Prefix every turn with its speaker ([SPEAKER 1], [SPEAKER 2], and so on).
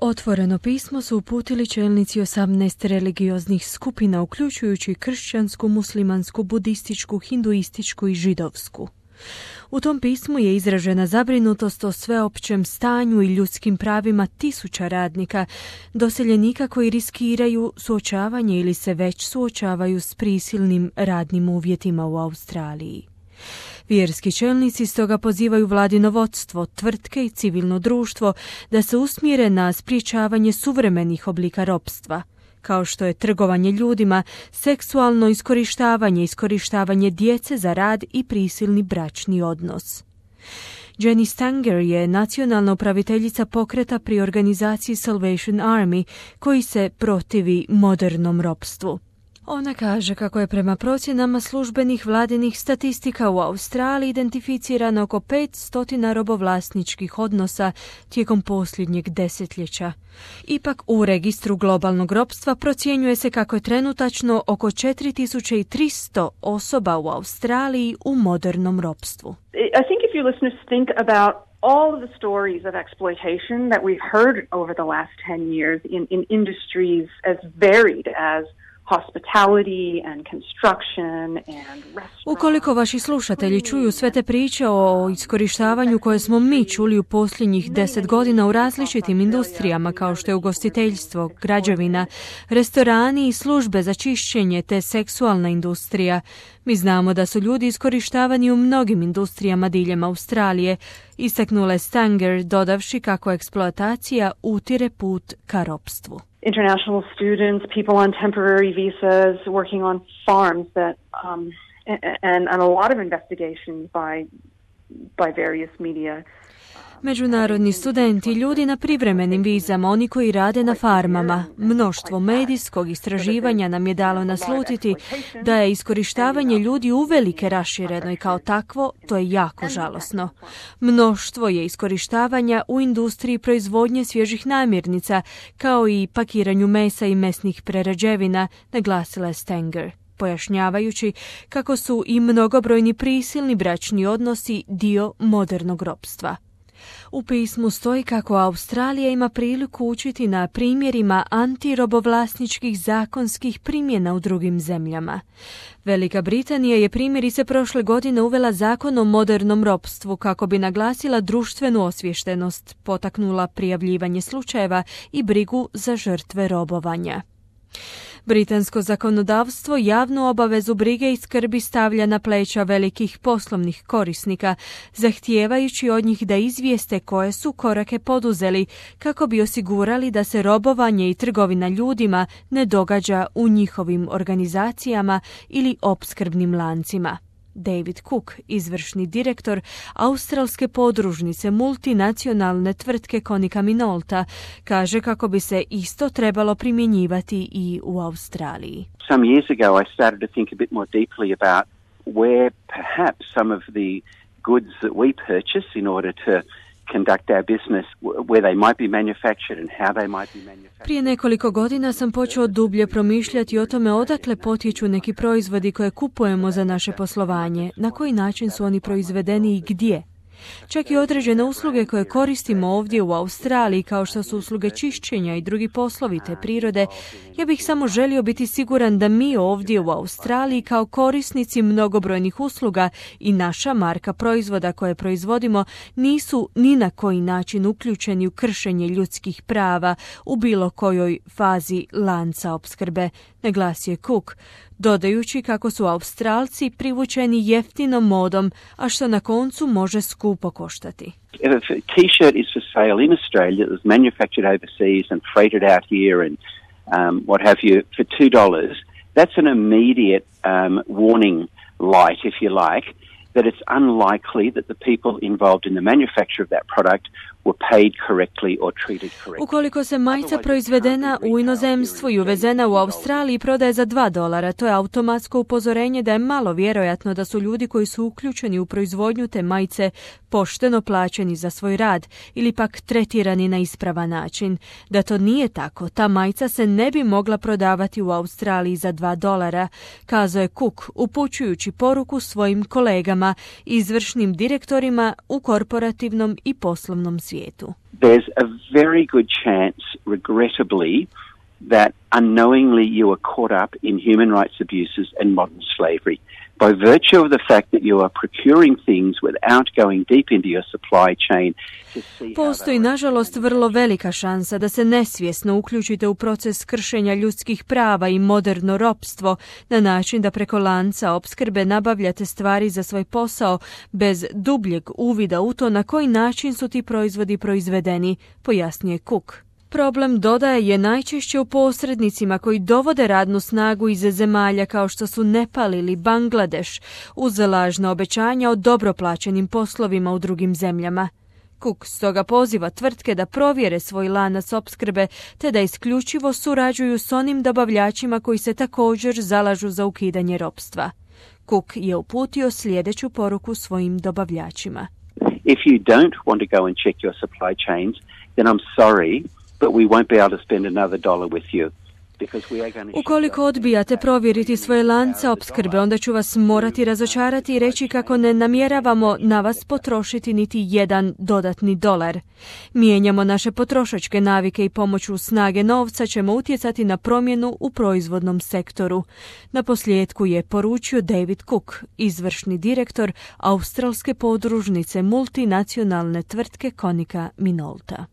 [SPEAKER 1] Otvoreno pismo su uputili čelnici 18 religioznih skupina, uključujući kršćansku, muslimansku, budističku, hinduističku i židovsku. U tom pismu je izražena zabrinutost o sveopćem stanju i ljudskim pravima tisuća radnika, doseljenika koji riskiraju suočavanje ili se već suočavaju s prisilnim radnim uvjetima u Australiji. Vjerski čelnici stoga pozivaju vladino vodstvo, tvrtke i civilno društvo da se usmjere na sprječavanje suvremenih oblika ropstva, kao što je trgovanje ljudima, seksualno iskorištavanje djece za rad i prisilni bračni odnos. Jenny Stanger je nacionalna upraviteljica pokreta pri organizaciji Salvation Army koji se protivi modernom ropstvu. Ona kaže kako je prema procjenama službenih vladinih statistika u Australiji identificirano oko 500 robovlasničkih odnosa tijekom posljednjeg desetljeća. Ipak u registru globalnog ropstva procjenjuje se kako je trenutačno oko 4300 osoba u Australiji u modernom ropstvu.
[SPEAKER 2] I think if your listeners think about all of the stories of exploitation that we've heard over the last 10 years in industries as varied as hospitality and construction and restaurants.
[SPEAKER 1] Ukoliko vaši slušatelji čuju sve te priče o iskorištavanju koje smo mi čuli u posljednjih 10 godina u različitim industrijama kao što je ugostiteljstvo, građevina, restorani i službe za čišćenje te seksualna industrija, mi znamo da su ljudi iskorištavani u mnogim industrijama diljem Australije, istaknula je Stanger, dodavši kako eksploatacija utire put ka ropstvu.
[SPEAKER 2] International students, people on temporary visas, working on farms that, and a lot of investigations by various media.
[SPEAKER 1] Međunarodni studenti, ljudi na privremenim vizama, oni koji rade na farmama. Mnoštvo medijskog istraživanja nam je dalo naslutiti da je iskorištavanje ljudi uvelike rašireno i kao takvo to je jako žalosno. Mnoštvo je iskorištavanja u industriji proizvodnje svježih namirnica, kao i pakiranju mesa i mesnih prerađevina, naglasila je Stanger, pojašnjavajući kako su i mnogobrojni prisilni bračni odnosi dio modernog ropstva. U pismu stoji kako Australija ima priliku učiti na primjerima antirobovlasničkih zakonskih primjena u drugim zemljama. Velika Britanija je primjerice prošle godine uvela zakon o modernom ropstvu kako bi naglasila društvenu osviještenost, potaknula prijavljivanje slučajeva i brigu za žrtve robovanja. Britansko zakonodavstvo javnu obavezu brige i skrbi stavlja na pleća velikih poslovnih korisnika, zahtijevajući od njih da izvijeste koje su korake poduzeli kako bi osigurali da se robovanje i trgovina ljudima ne događa u njihovim organizacijama ili opskrbnim lancima. David Cook, izvršni direktor australske podružnice multinacionalne tvrtke Konica Minolta, kaže kako bi se isto trebalo primjenjivati i u Australiji.
[SPEAKER 3] Some years ago I started to think a bit more deeply about where perhaps some of the goods that we purchase in order to conduct our business, where they might be manufactured and how they might be manufactured.
[SPEAKER 1] Prije nekoliko godina sam počeo dublje promišljati o tome odakle potječu neki proizvodi koje kupujemo za naše poslovanje, na koji način su oni proizvedeni i gdje. Čak i određene usluge koje koristimo ovdje u Australiji, kao što su usluge čišćenja i drugi poslovi te prirode, ja bih samo želio biti siguran da mi ovdje u Australiji kao korisnici mnogobrojnih usluga i naša marka proizvoda koje proizvodimo nisu ni na koji način uključeni u kršenje ljudskih prava u bilo kojoj fazi lanca opskrbe, naglasio je Cook, dodajući kako su Australci privučeni jeftinom modom, a što na koncu može skupo koštati.
[SPEAKER 3] If a t-shirt is for sale in Australia that was manufactured overseas and freighted out here and what have you for $2, that's an immediate warning light, if you like, that it's unlikely that the people involved in the manufacture of that product were paid correctly or treated correctly.
[SPEAKER 1] Ukoliko se majica proizvedena u inozemstvu i uvezena u Australiji prodaje za $2, to je automatsko upozorenje da je malo vjerojatno da su ljudi koji su uključeni u proizvodnju te majice pošteno plaćeni za svoj rad ili pak tretirani na ispravan način. Da to nije tako, ta majica se ne bi mogla prodavati u Australiji za $2, kazao je Cook, upućujući poruku svojim kolegama, izvršnim direktorima u korporativnom i poslovnom svijetu.
[SPEAKER 3] there's a very good chance, regrettably, that unknowingly you are caught up in human rights abuses and modern slavery. By virtue of the fact that you are procuring things without going deep into your supply chain to see.
[SPEAKER 1] Postoji, nažalost, vrlo velika šansa da se nesvjesno uključite u proces kršenja ljudskih prava i moderno ropstvo na način da preko lanca opskrbe nabavljate stvari za svoj posao bez dubljeg uvida u to na koji način su ti proizvodi proizvedeni, pojasnije Cook. Problem, dodaje, je najčešće u posrednicima koji dovode radnu snagu iz zemalja kao što su Nepal ili Bangladeš uz lažna obećanja o dobro plaćenim poslovima u drugim zemljama. Cook stoga poziva tvrtke da provjere svoj lanac opskrbe te da isključivo surađuju s onim dobavljačima koji se također zalažu za ukidanje ropstva. Cook je uputio sljedeću poruku svojim dobavljačima.
[SPEAKER 3] If you don't want to go and check your supply chains, then I'm sorry, but we won't be able to spend another $1 with you.
[SPEAKER 1] Ukoliko odbijate provjeriti svoje lance opskrbe, onda ću vas morati razočarati i reći kako ne namjeravamo na vas potrošiti niti jedan dodatni $1. Mijenjamo naše potrošačke navike i pomoću snage novca ćemo utjecati na promjenu u proizvodnom sektoru. Na posljedku je poručio David Cook, izvršni direktor australske podružnice multinacionalne tvrtke Konica Minolta.